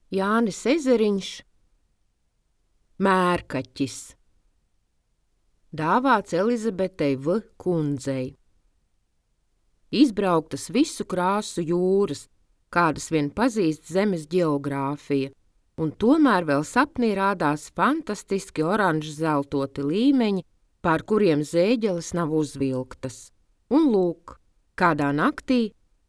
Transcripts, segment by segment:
Jānis Ezeriņš, Mērkaķis, dāvāts Elizabetei V. kundzei. Izbrauktas visu krāsu jūras, kādas vien pazīst zemes ģeogrāfija, un tomēr vēl sapnī rādās fantastiski oranžu zeltoti līmeņi, pār kuriem zēģeles nav uzvilktas. Un lūk, kādā naktī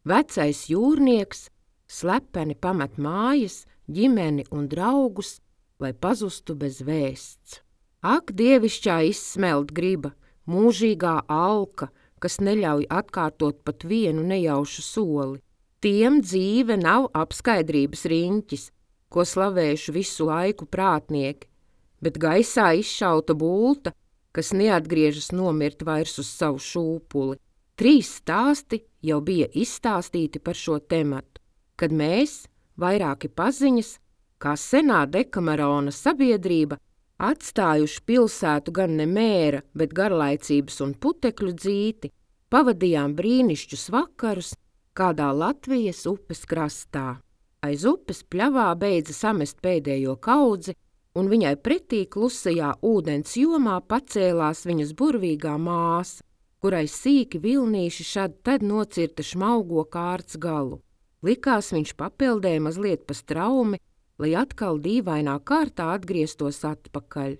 vecais jūrnieks slepeni pamet mājas, ģimeni un draugus, lai pazustu bez vēsts. Ak, dievišķā izsmelt griba, mūžīgā alka, kas neļauj atkārtot pat vienu nejaušu soli. Tiem dzīve nav apskaidrības riņķis, ko slavējuši visu laiku prātnieki, bet gaisā izšauta bulta, kas neatgriežas nomirt vairs uz savu šūpuli. 3 stāsti jau bija izstāstīti par šo tematu, kad mēs, vairāki paziņas, kā senā Dekamerona sabiedrība, atstājuši pilsētu gan ne mēra, bet garlaicības un putekļu dzīti, pavadījām brīnišķus vakarus kādā Latvijas upes krastā. Aiz upes pļavā beidza samest pēdējo kaudzi, un viņai pretī klusajā ūdens jomā pacēlās viņas burvīgā māsa, kurai sīki vilnīši šad tad nocirta šmaugo kārts galu. Likās viņš papeldēja mazliet pa straumi, lai atkal dīvainā kārtā atgrieztos atpakaļ.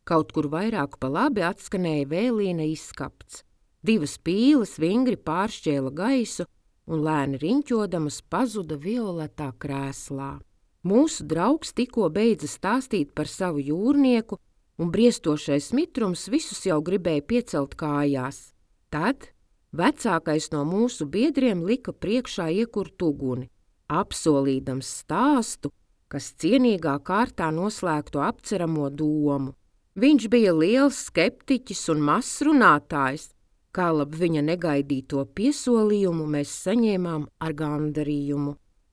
Kaut kur vairāk pa labi atskanēja vēlīna izskapts. 2 pīles vingri pāršķēla gaisu un lēni riņķodamas pazuda violetā krēslā. Mūsu draugs tikko beidza stāstīt par savu jūrnieku, un briestošais mitrums visus jau gribēja piecelt kājās. Tad vecākais no mūsu biedriem lika priekšā iekurt uguni, apsolīdams stāstu, kas cienīgā kārtā noslēgtu apceramo domu. Viņš bija liels skeptiķis un mazs runātājs, kā lab viņa negaidīto piesolījumu mēs saņēmām ar gandarījumu.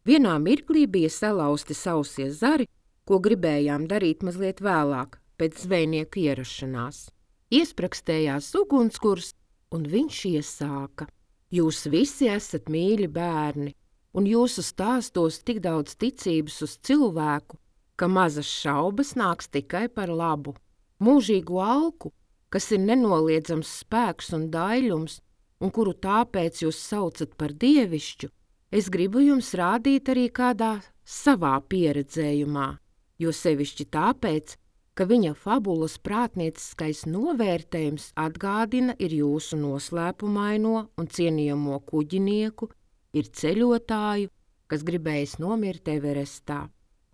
Vienā mirklī bija salauzti sausie zari, ko gribējām darīt mazliet vēlāk, pēc zvejnieka ierašanās. Iesprakstējās ugunskurs, un viņš iesāka. Jūs visi esat mīļi bērni, un jūsu stāstos tik daudz ticības uz cilvēku, ka mazas šaubas nāks tikai par labu. Mūžīgu alku, kas ir nenoliedzams spēks un daļums, un kuru tāpēc jūs saucat par dievišķu, es gribu jums rādīt arī kādā savā pieredzējumā, jo sevišķi tāpēc, ka viņa fabulas prātnieciskais novērtējums atgādina ir jūsu noslēpumaino un cienījamo kuģinieku, ir ceļotāju, kas gribējis nomirt Everestā.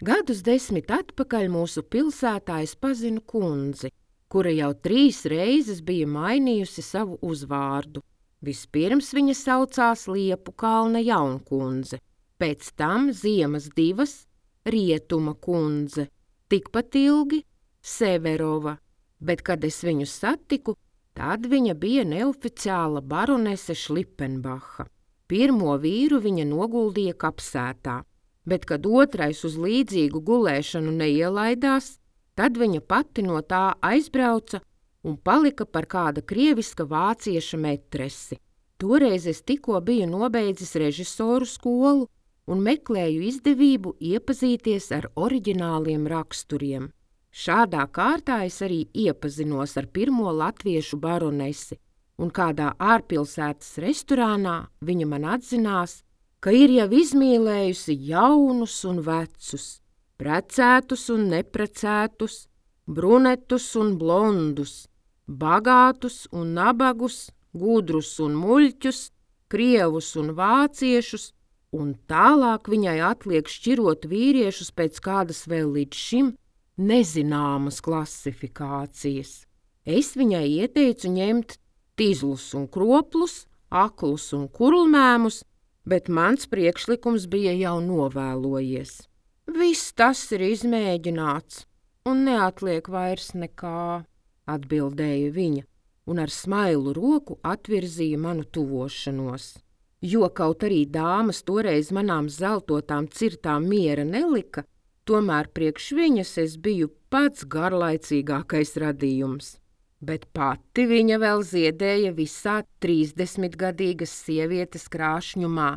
Gadus 10 atpakaļ mūsu pilsētā es pazinu kundzi, kura jau 3 reizes bija mainījusi savu uzvārdu. Vispirms viņa saucās Liepu kalna jaunkundze, pēc tam ziemas 2 Rietuma kundze, tikpat ilgi Severova, bet, kad es viņu satiku, tad viņa bija neoficiāla baronese Šlipenbacha. Pirmo vīru viņa noguldīja kapsētā, bet, kad otrais uz līdzīgu gulēšanu neielaidās, tad viņa pati no tā aizbrauca un palika par kāda krieviska vācieša metresi. Toreiz es tikko biju nobeidzis režisoru skolu un meklēju izdevību iepazīties ar oriģināliem raksturiem. Šādā kārtā es arī iepazinos ar pirmo latviešu baronesi, un kādā ārpilsētas restorānā viņa man atzinās, ka ir jau izmīlējusi jaunus un vecus, precētus un neprecētus, brunetus un blondus, bagātus un nabagus, gudrus un muļķus, krievus un vāciešus, un tālāk viņai atliek šķirot vīriešus pēc kādas vēl līdz šim nezināmas klasifikācijas. Es viņai ieteicu ņemt tizlus un kroplus, aklus un kurlmēmus, bet mans priekšlikums bija jau novēlojies. Viss tas ir izmēģināts, un neatliek vairs nekā, atbildēja viņa, un ar smailu roku atvirzīja manu tuvošanos. Jo kaut arī dāmas toreiz manām zeltotām cirtām miera nelika, tomēr priekš viņas es biju pats garlaicīgākais radījums. Bet pati viņa vēl ziedēja visā 30-gadīgas sievietes krāšņumā,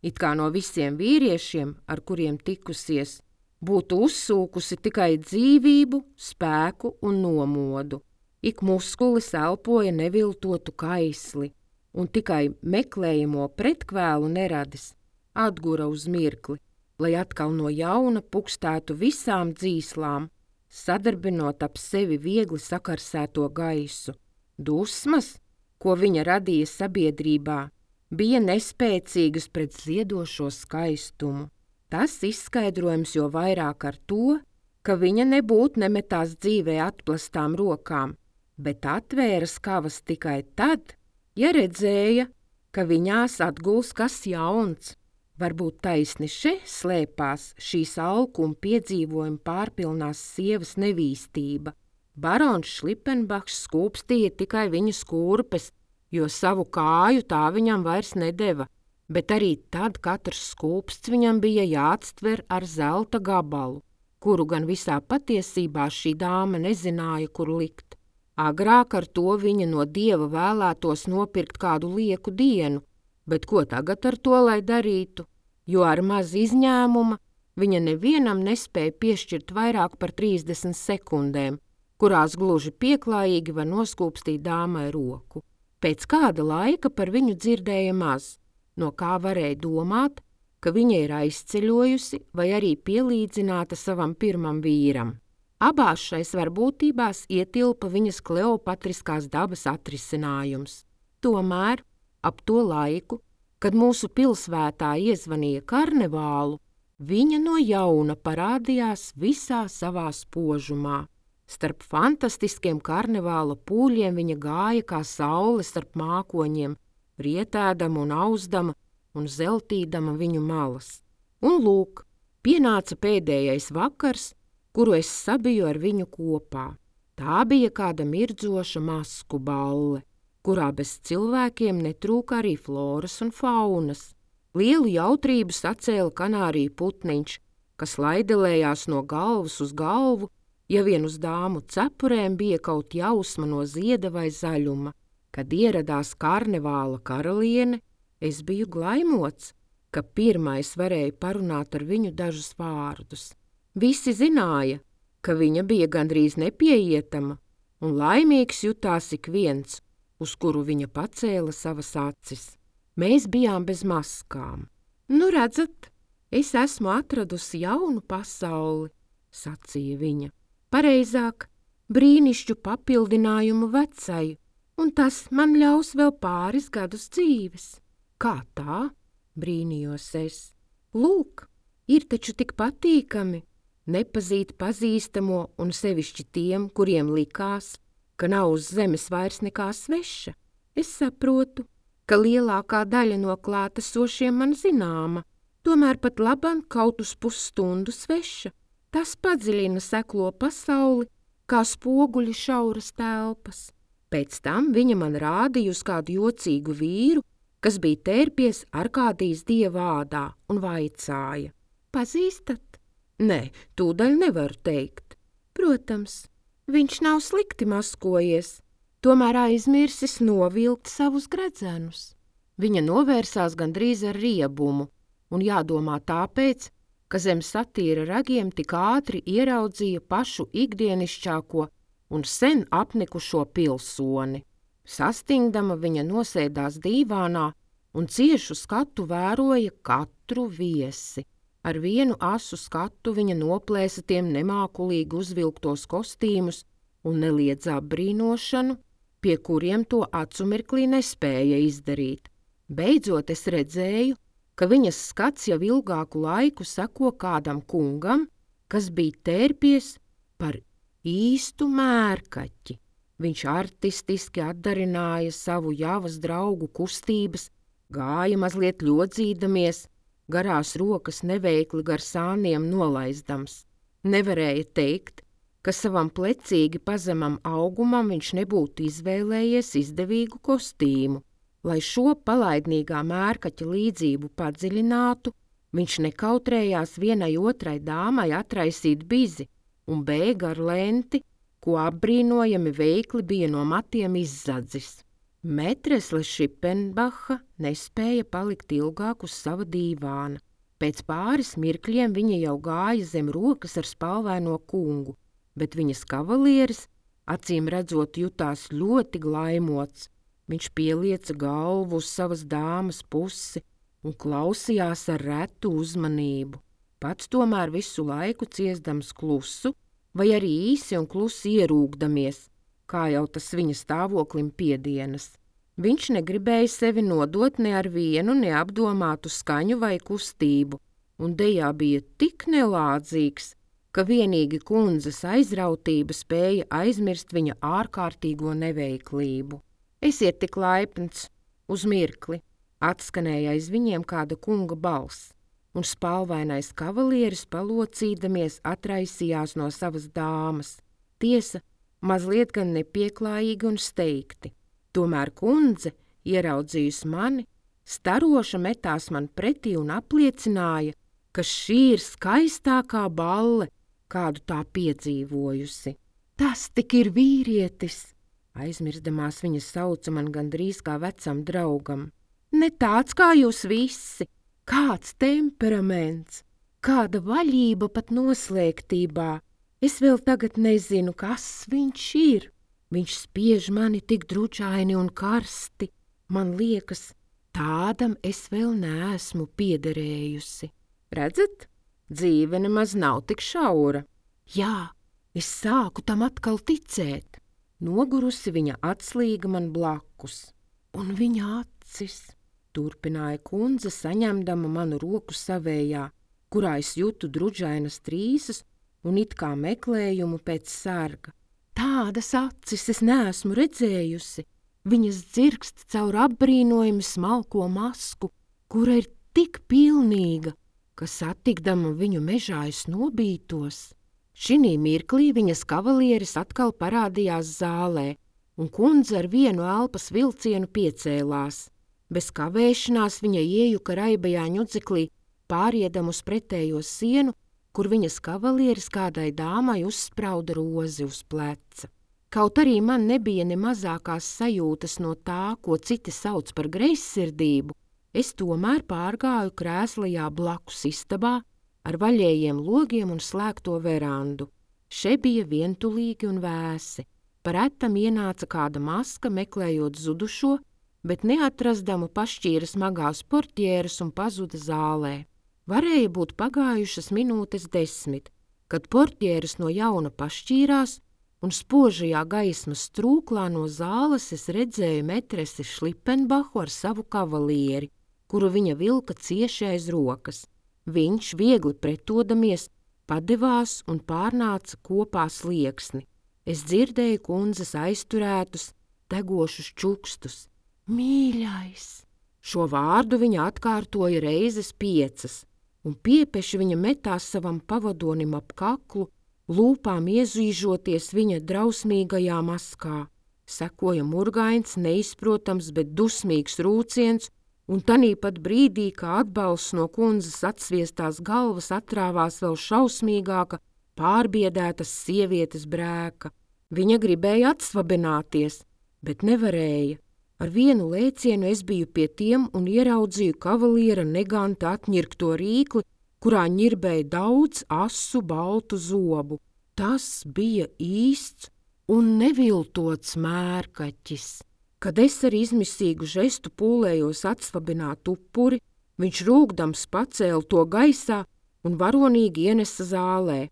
it kā no visiem vīriešiem, ar kuriem tikusies, būtu uzsūkusi tikai dzīvību, spēku un nomodu. Ik muskulis elpoja neviltotu kaisli, un tikai meklējamo pretkvēlu neradis atgura uz mirkli, lai atkal no jauna pukstētu visām dzīslām, sadarbinot ap sevi viegli sakarsēto gaisu. Dusmas, ko viņa radīja sabiedrībā, bija nespēcīgas pret ziedošo skaistumu. Tas izskaidrojams jo vairāk ar to, ka viņa nebūtu nemetās dzīvē atplastām rokām, bet atvēra skavas tikai tad, ja redzēja, ka viņās atguls kas jauns. Varbūt taisni šeit slēpās šīs alkuma piedzīvojuma pārpilnās sievas nevīstība. Barons Šlipenbachs skūpstīja tikai viņa skūrpes, jo savu kāju tā viņam vairs nedeva, bet arī tad katrs skūpsts viņam bija jāatstver ar zelta gabalu, kuru gan visā patiesībā šī dāma nezināja, kur likt. Agrāk ar to viņa no dieva vēlētos nopirkt kādu lieku dienu, bet ko tagad ar to, lai darītu? Jo ar maz izņēmuma viņa nevienam nespēja piešķirt vairāk par 30 sekundēm, kurās gluži pieklājīgi var noskūpstīt dāmai roku. Pēc kāda laika par viņu dzirdēja maz, no kā varēja domāt, ka viņa ir aizceļojusi vai arī pielīdzināta savam pirmam vīram. Abās šais varbūtībās ietilpa viņas kleopatriskās dabas atrisinājums. Tomēr ap to laiku, kad mūsu pilsvētā iezvanīja karnevālu, viņa no jauna parādījās visā savā spožumā. Starp fantastiskiem karnevāla pūļiem viņa gāja kā saule starp mākoņiem, rietēdama un auzdama un zeltīdama viņu malas. Un lūk, pienāca pēdējais vakars, kuru es sabiju ar viņu kopā. Tā bija kāda mirdzoša masku balle, kurā bez cilvēkiem netrūka arī floras un faunas. Lielu jautrību sacēla kanāriju putniņš, kas laidelējās no galvas uz galvu, ja vien uz dāmu cepurēm bija kaut jausma no zieda vai zaļuma. Kad ieradās karnevāla karaliene, es biju glaimots, ka pirmais varēja parunāt ar viņu dažus vārdus. Visi zināja, ka viņa bija gandrīz nepieejama, un laimīgs jutās ik viens, uz kuru viņa pacēla savas acis. Mēs bijām bez maskām. Nu, redzat, es esmu atradusi jaunu pasauli, sacīja viņa. Pareizāk, brīnišķu papildinājumu vecai, un tas man ļaus vēl pāris gadus dzīves. Kā tā? Brīnījos es. Lūk, ir taču tik patīkami nepazīt pazīstamo un sevišķi tiem, kuriem likās, ka nav uz zemes vairs nekā sveša. Es saprotu, ka lielākā daļa no klātesošiem man zināma, tomēr pat labam kaut uz pusstundu sveša. Tas padziļina seklo pasauli, kā spoguļi šauras telpas. Pēc tam viņa man rādīja uz kādu jocīgu vīru, kas bija tērpies Arkādijas dievādā un vaicāja. Pazīstat? Nē, tūdaļ nevaru teikt. Protams, viņš nav slikti maskojies, tomēr aizmirsis novilkt savus gredzenus. Viņa novērsās gandrīz ar riebumu, un jādomā tāpēc, ka zem satīra ragiem tik ātri ieraudzīja pašu ikdienišķāko un sen apnikušo pilsoni. Sastingdama viņa nosēdās dīvānā un ciešu skatu vēroja katru viesi. Ar vienu asu skatu viņa noplēsa tiem nemākulīgi uzvilktos kostīmus un neliedzā brīnošanu, pie kuriem to acumirklī nespēja izdarīt. Beidzot es redzēju, ka viņas skats jau ilgāku laiku seko kādam kungam, kas bija tērpies par īstu mērkaķi. Viņš artistiski atdarināja savu javas draugu kustības, gāja mazliet ļodzīdamies, garās rokas neveikli gar sāniem nolaizdams. Nevarēja teikt, ka savam plecīgi pazemam augumam viņš nebūtu izvēlējies izdevīgu kostīmu. Lai šo palaidnīgā mērkaķa līdzību padziļinātu, viņš nekautrējās vienai otrai dāmai atraisīt bizi un bēga ar lenti, ko apbrīnojami veikli bija no matiem izzadzis. Metresle Šipenbacha nespēja palikt ilgāk uz sava dīvāna. Pēc pāris mirkļiem viņa jau gāja zem rokas ar spalvaino kungu, bet viņas kavalieris, acīm redzot, jutās ļoti glaimots. Viņš pielieca galvu uz savas dāmas pusi un klausījās ar retu uzmanību. Pats tomēr visu laiku ciesdams klusu, vai arī īsi un klusi ierūgdamies, kā jau tas viņa stāvoklim piedienas. Viņš negribēja sevi nodot ne ar vienu neapdomātu skaņu vai kustību, un dejā bija tik nelādzīgs, ka vienīgi kundzes aizrautība spēja aizmirst viņa ārkārtīgo neveiklību. Esiet tik laipns, uz mirkli, atskanēja aiz viņiem kāda kunga balss, un spalvainais kavalieris palocīdamies atraisījās no savas dāmas. Tiesa, mazliet gan nepieklājīgi un steigti. Tomēr kundze, ieraudzījusi mani, staroša metās man pretī un apliecināja, ka šī ir skaistākā balle, kādu tā piedzīvojusi. Tas tik ir vīrietis! Aizmirstamās viņa sauca man gandrīz kā vecam draugam. Ne tāds kā jūs visi, kāds temperaments, kāda vaļība pat noslēgtībā. Es vēl tagad nezinu, kas viņš ir. Viņš spiež mani tik dručaini un karsti. Man liekas, tādam es vēl neesmu piederējusi. Redzat, dzīve nemaz nav tik šaura. Jā, es sāku tam atkal ticēt. Nogurusi viņa atslīga man blakus. Un viņa acis, turpināja kundze, saņemdama manu roku savējā, kurā es jūtu dručainas trīsas un it kā meklējumu pēc sarga. Tādas acis es neesmu redzējusi. Viņas dzirkst caur apbrīnojami smalko masku, kura ir tik pilnīga, ka satikdama viņu mežā es nobītos. Šinī mirklī viņas kavalieris atkal parādījās zālē, un kundze ar vienu elpas vilcienu piecēlās. Bez kavēšanās viņa iejuka raibajā ņudzeklī, pāriedam uz pretējo sienu, kur viņas kavalieris kādai dāmai uzsprauda rozi uz pleca. Kaut arī man nebija ne mazākās sajūtas no tā, ko citi sauc par greizsirdību, es tomēr pārgāju krēslajā blakus istabā ar vaļējiem logiem un slēgto verandu. Še bija vientulīgi un vēsi. Pa retam ienāca kāda maska, meklējot zudušo, bet neatrastama pašķīra smagās portjēras un pazuda zālē. Varēja būt pagājušas minūtes 10, kad portjēras no jauna pašķīrās, un spožajā gaismas trūklā no zāles es redzēju metresi Šlipenbahu ar savu kavalieri, kuru viņa vilka cieši aiz rokas. Viņš, viegli pretodamies, padevās un pārnāca kopā slieksni. Es dzirdēju kundzes aizturētus, degošus čukstus. Mīļais! Šo vārdu viņa atkārtoja reizes 5. un piepeši viņa metās savam pavadonim ap kaklu, lūpām iezīžoties viņa drausmīgajā maskā. Sekoja murgains, neizprotams, bet dusmīgs rūciens, un tanīpat brīdī, kā atbalsts no kundzes atsviestās galvas atrāvās vēl šausmīgāka, pārbiedētas sievietes brēka. Viņa gribēja atsvabināties, bet nevarēja. Ar vienu lēcienu es biju pie tiem un ieraudzīju kavaliera neganta atņirkto rīkli, kurā ņirbēja daudz asu baltu zobu. Tas bija īsts un neviltots mērkaķis. Kad es ar izmisīgu žestu pūlējos atsvabināt upuri, viņš rūgdams pacēla to gaisā un varonīgi ienesa zālē.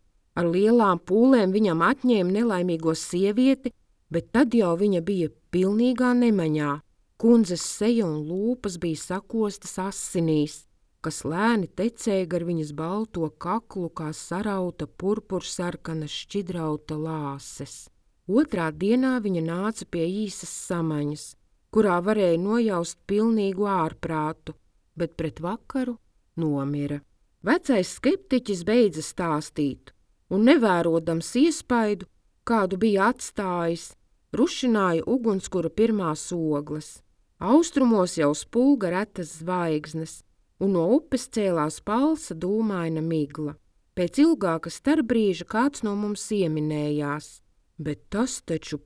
Ar lielām pūlēm viņam atņēma nelaimīgo sievieti, bet tad jau viņa bija pilnīgā nemaņā. Kundzes seja un lūpas bija sakostas asinīs, kas lēni tecēja gar viņas balto kaklu kā sarauta purpursarkana šķidrauta lāses. Otrā dienā viņa nāca pie īsas samaņas, kurā varēja nojaust pilnīgu ārprātu, bet pret vakaru nomira. Vecais skeptiķis beidza stāstīt, un nevērodams iespaidu, kādu bija atstājis, rušināja ugunskura pirmās ogles. Austrumos jau spulga retas zvaigznes, un no upes cēlās palsa dūmaina migla. Pēc ilgāka starpbrīža kāds no mums ieminējās, bet tas taču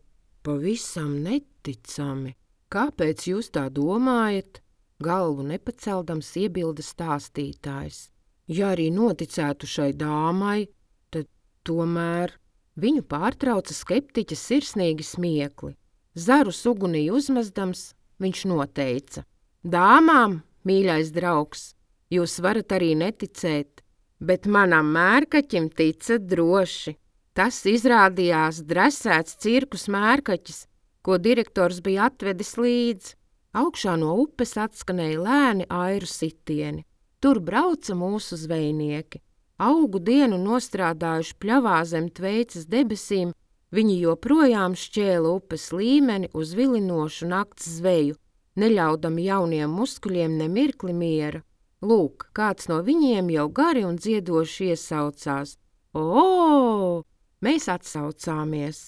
pavisam neticami. Kāpēc jūs tā domājat? Galvu nepaceldams iebilda stāstītājs. Ja arī noticētu šai dāmai, tad tomēr viņu pārtrauca skeptiķa sirsnīgi smiekli. Zarus ugunī uzmezdams, viņš noteica: Dāmām, mīļais draugs, jūs varat arī neticēt, bet manam mērkaķim ticat droši. Tas izrādījās dresēts cirkus mērkaķis, ko direktors bija atvedis līdzi. Augšā no upes atskanēja lēni airu sitieni. Tur brauca mūsu zvejnieki. Augu dienu nostrādājuši pļavā zem Tveicas debesīm, viņi joprojām šķēla upes līmeni uz vilinošu nakts zveju, neļaudami jauniem muskuļiem ne mirkli miera. Lūk, kāds no viņiem jau gari un dziedoši iesaucās: O! Mēs atsaucāmies,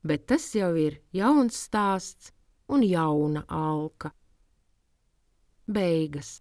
bet tas jau ir jauns stāsts un jauna alka. Beigas.